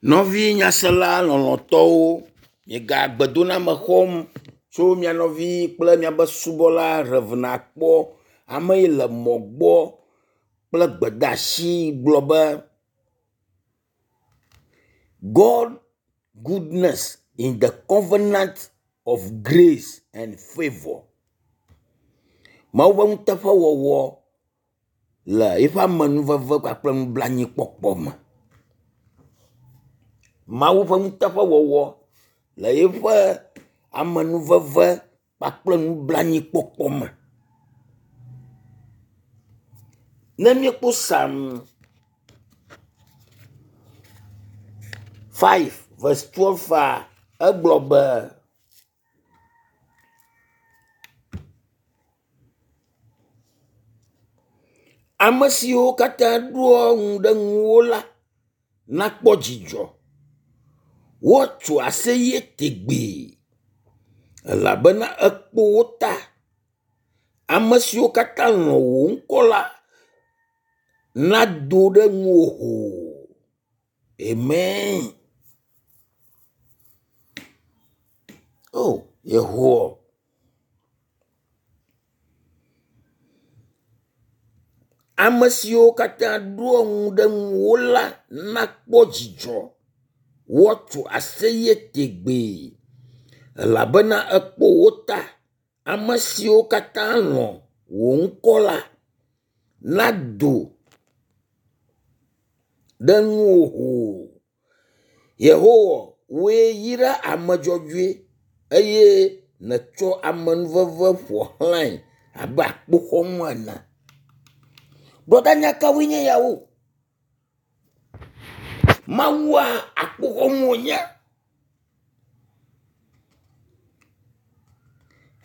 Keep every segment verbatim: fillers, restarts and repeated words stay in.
Nɔvi nyasela lɔlɔ̃tɔwo, miega gbedoname xɔm tso mia nɔvi kple miaƒe subɔla Rev. Akpɔ ame yi le mɔ gbɔ kple gbedeasi gblɔ be God goodness in the covenant of grace and favour. Mawu ƒe nuteƒewɔwɔ le eƒe amenuveve kpakple nublanuikpɔkpɔ me. Mawu ƒe nuteƒewɔwɔ le eƒe amenuveve kpakple nublanuikpɔkpɔ me. Ne míekpɔ Psalm five verse twelve egblɔ be ame siwo katã ɖoa ŋu ɖe ŋuwò la nakpɔ dzidzɔ. Woatso aseye tegbee elabena èkpo wo ta. Ame siwo katã lɔ̃ wò ŋkɔ la nado ɖe ŋuwò hoo. Amen. O Yehowa. Ame siwo katã ɖoa ŋu ɖe ŋuwò la nakpɔ dzidzɔ. Woatso aseye tegbee elabena èkpo wo ta. Ame siwo katã lɔ̃ wò ŋkɔ la nado ɖe ŋuwò hoo. Yehowa, wòe yra ame dzɔdzɔe eye nètsɔ amenuveve ƒo xlãe abe akpoxɔnu ene. Brɔda nya kawoe nye yawo? Mawua akpoxɔnu wònye.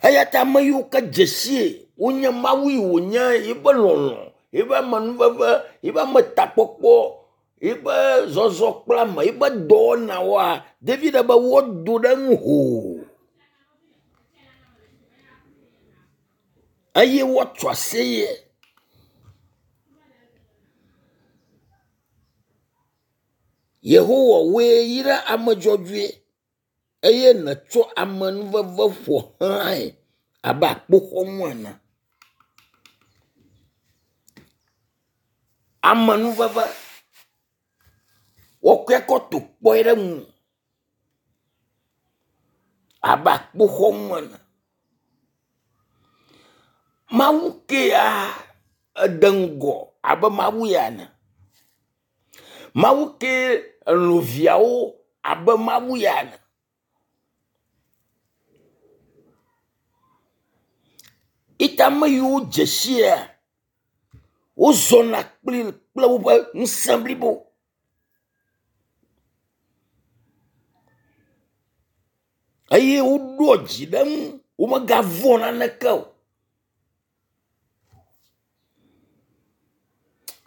Eya ta ame yiwo ke dze sie wonye Mawu yi wònye yiƒe lɔlɔ̃, yiƒe amenuveve, yiƒe ametakpɔkpɔ, yiƒe zɔzɔ kple ame, yiƒe dɔwɔnawoa, David be woado ɖe eŋu hoo eye woatso aseye. Yehowa wòe yra ame dzɔdzɔe eye nètsɔ amenuveve ƒo xlãe abe akpoxɔnu ene. Amenuveve wokɔe kɔ to kpɔe ɖe ŋu abe akpoxɔnu ene. Mawu kea ede ŋgɔ abe Mawu ya ene. Mawu kee elɔ̃ viawo abe Mawu ya ene. Ita ame yiwo dze sia wozɔna kpli kple woƒe ŋusẽ blibo eye woɖoa dzi ɖe eŋu womegavɔ̃ naneke o.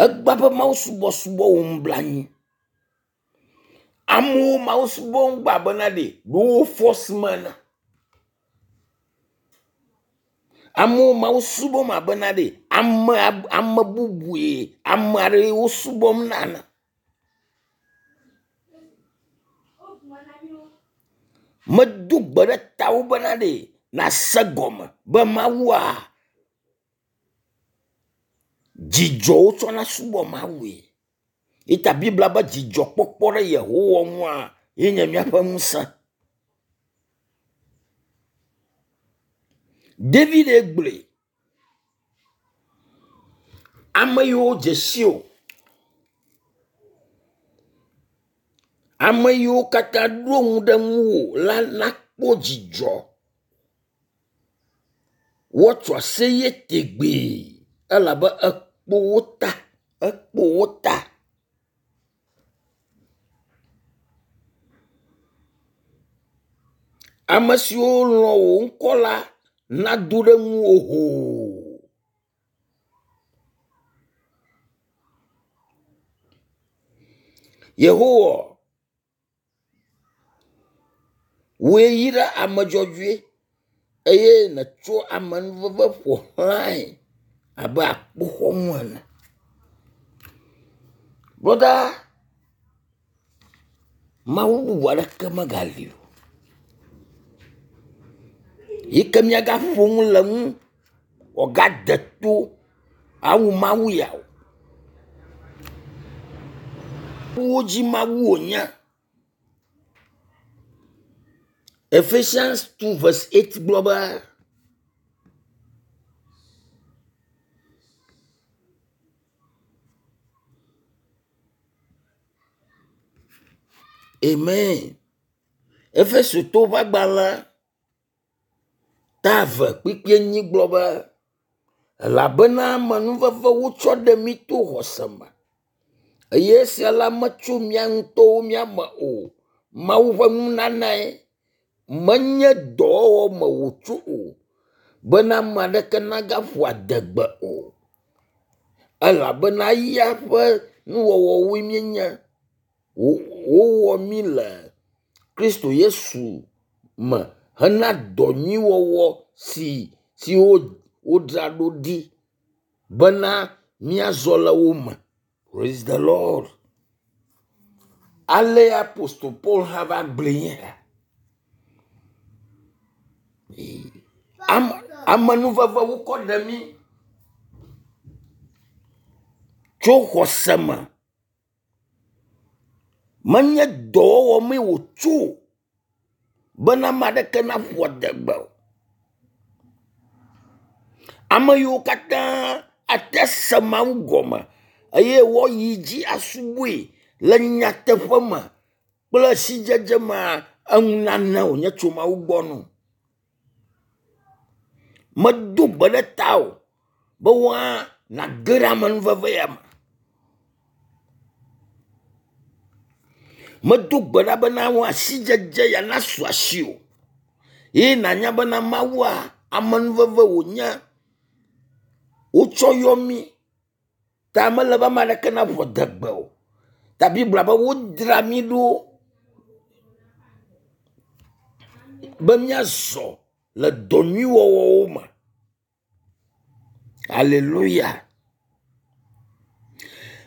Egbea ƒe mawusubɔsubɔ wɔm blanui. Amewo Mawu subɔm gba bena ɖe wo fɔsi me ene. Amewo Mawu subɔm abena ɖe ame ame bubue ame aɖee wo subɔm na ene. Medo gbe ɖe tawò bena ɖe nàse gɔme be Mawua, dzidzɔ wotsɔna subɔ Mawue. Eyi ta Biblia be dzidzɔkpɔkpɔ ɖe Yehowa ŋua ye nye míaƒe ŋusẽ. David gblɔe. Ame yiwo dze si wò, ame yiwo katã ɖo ŋu ɖe ŋuwò la nakpɔ dzidzɔ. Woatso aseye tegbee elabe èkpo wo ta, ekpo wo ta. Ame siwo lɔ̃ wò ŋkɔ la nado ɖe ŋuwò hoo. Yehowa, wòe yra ame dzɔdzɔe eye nètsɔ amenuveve ƒo xlãe abe akpoxɔnu ene. Brɔda, Mawu bubu aɖeke megali o. Yi ke míagaƒo nu le ŋu wòagade to awu Mawu ya o. Wo dzi Mawu wònye. Ephesians two verse eight gblɔ be Amen. Efesotɔwo ƒe agbalẽ ta eve kpukpui enyi gblɔ be elabena amenuveve wotsɔ ɖe mí to xɔse me eye esia la metso mía ŋutɔwo mía me o. Mawu ƒe nunanae menye dɔwɔwɔ me wòtso o bena ame aɖeke nagaƒo adegbe o. Elabena eya ƒe nuwɔwɔwoe míenye. Wowɔ mí le Kristo Yesu me hena dɔ nyui wɔwɔ si siwo wodzra ɖo ɖi bena míazɔ le wo me. Praise the Lord. Ale Apostol Paul hã va gblɔe nye ya. Ame amenuveve wokɔ ɖe mí tso xɔse me. Menye dɔwɔwɔ mee wòtso o bena ame aɖeke naƒo adegbe o. Ame yiwo katã ate se Mawu gɔme eye woayi dzi asubɔe le nyateƒe me kple sidzedze mea, enunana wònye tso Mawu gbɔ no. Medo gbe ɖe tawò be woa nàge ɖe amenuveve ya me. Medo gbe ɖa bena woa sidzedze ya nasu asiwò ye nànya bena Mawua amenuveve wònye wotsɔ yɔ mí ta mele be ame aɖeke naƒo adegbe o. Ta Biblia be wodzra mí ɖo be míazɔ le dɔ nyui wɔwɔwo me. Aleluya.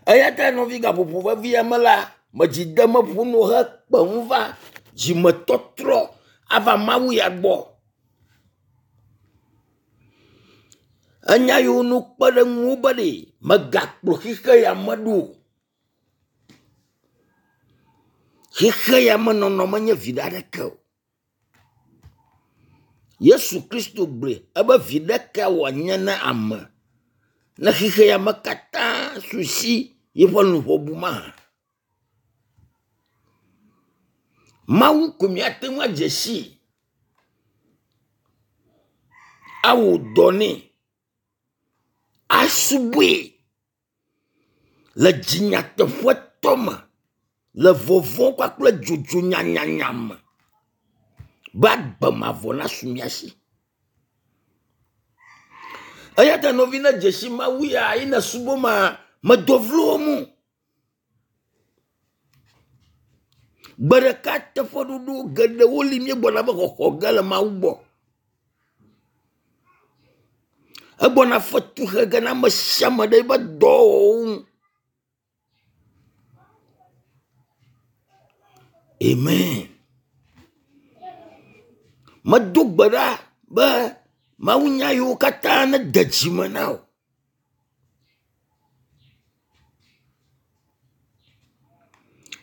Eya ta nɔvi gaƒoƒo vevi ya me la, medzi dem ƒo no hekpe ŋu va dzimetɔtrɔ ava Mawu ya gbɔ. Enya yiwo no kpe ɖe ŋuwò be ɖe mègakplɔ xixe ya me ɖo o. Xixe ya me nɔnɔ menye viɖe aɖeke o. Yesu Kristo gblɔe ebe viɖe ka wòanye na ame ne xixe ya me katã su si yeƒe luʋɔ bu mahã. Mawu ko míate ŋu adze sii awɔ dɔ nɛ asubɔe le dzinyateƒetɔ me le vɔvɔ̃ kpakple dzodzo nyanyanya me be agbe mavɔ nasu mía si. Eya ta nɔvi ne dze si Mawu ya yi ne subɔ ma medo vlo wɔm o. Gbe ɖeka teƒeɖoɖo geɖewo li míegbɔna be xɔxɔ ge le Mawu gbɔ. Egbɔna fetu xe ge na ame sia ame ɖe eƒe dɔwɔwɔwo ŋu. Amen. Medo gbe ɖa be Mawu nya yiwo katã nede dzime na wò.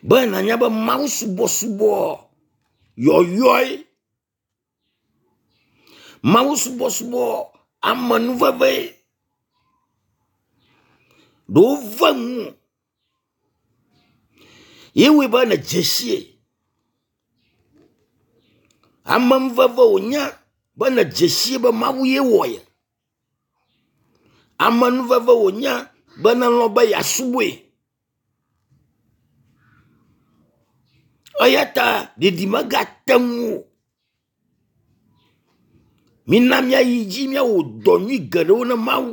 Be nànya be Mawu subɔsubɔ yɔyɔe. Mawu subɔsubɔ amenuvevee. Ɖewo ve ŋuwò. Ye wɔe be nèdze sie. Amenuveve wònye be nèdze sie be Mawu ye wɔ ye. Amenuveve wònye be nelɔ̃ be yeasubɔe. Eya ta ɖeɖi megate ŋu o. Mina míayi dzi míawɔ dɔ nyui geɖewo ne Mawu.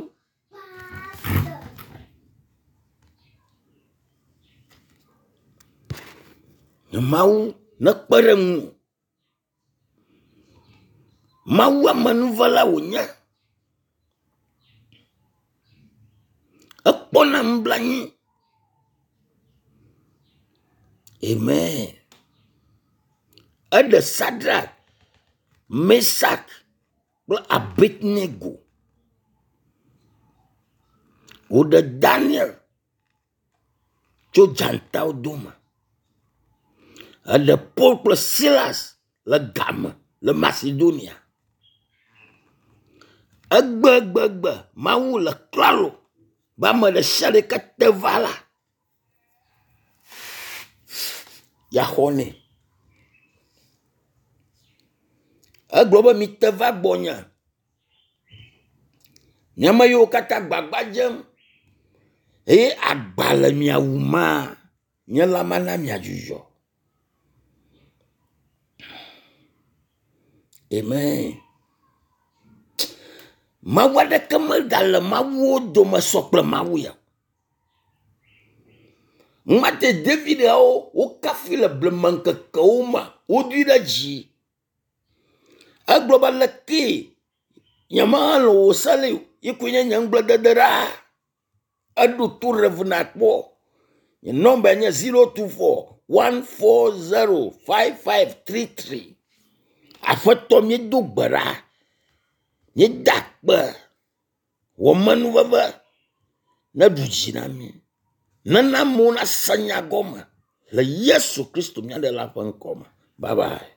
Ne Mawu nekpe ɖe ŋuwò. Mawu amenuvela wònye. Ekpɔna nublanui. Amen. Eɖe Sadrak, Mesak kple Abednego. Woɖe Daniel tso dzatawo dome. Eɖe Paul kple Silas le game le Macedonia. Egbegbegbe Mawu le klalo be ame ɖe sia ɖe ke te va la, yeaxɔ nɛ. Egblɔ be mite va gbɔnye. Mi ame yiwo katã gbagba dzem eye agba le mia wuma, nye la mana miadzudzɔ. Amen. Mawu aɖeke megale mawuwo dome sɔ kple Mawu ya. Ŋmate David yawo wokafui le blema ŋkekewo me wodoe ɖe dzi. Egblɔ be lekee nyemehelɔ̃ wò se li o yi koe nye nye ŋugbledede ɖaa. Eɖo to Rev. Nakpɔ. Nye nɔmba nye zero two four one four zero five five three three. Aƒetɔ míedo gbe ɖa. Míeda akpe. Wɔ menuveve neɖu dzi na mí. Nena amewo nase nya gɔme le Yesu Kristo mía ɖela ƒe ŋkɔ me. Bye bye.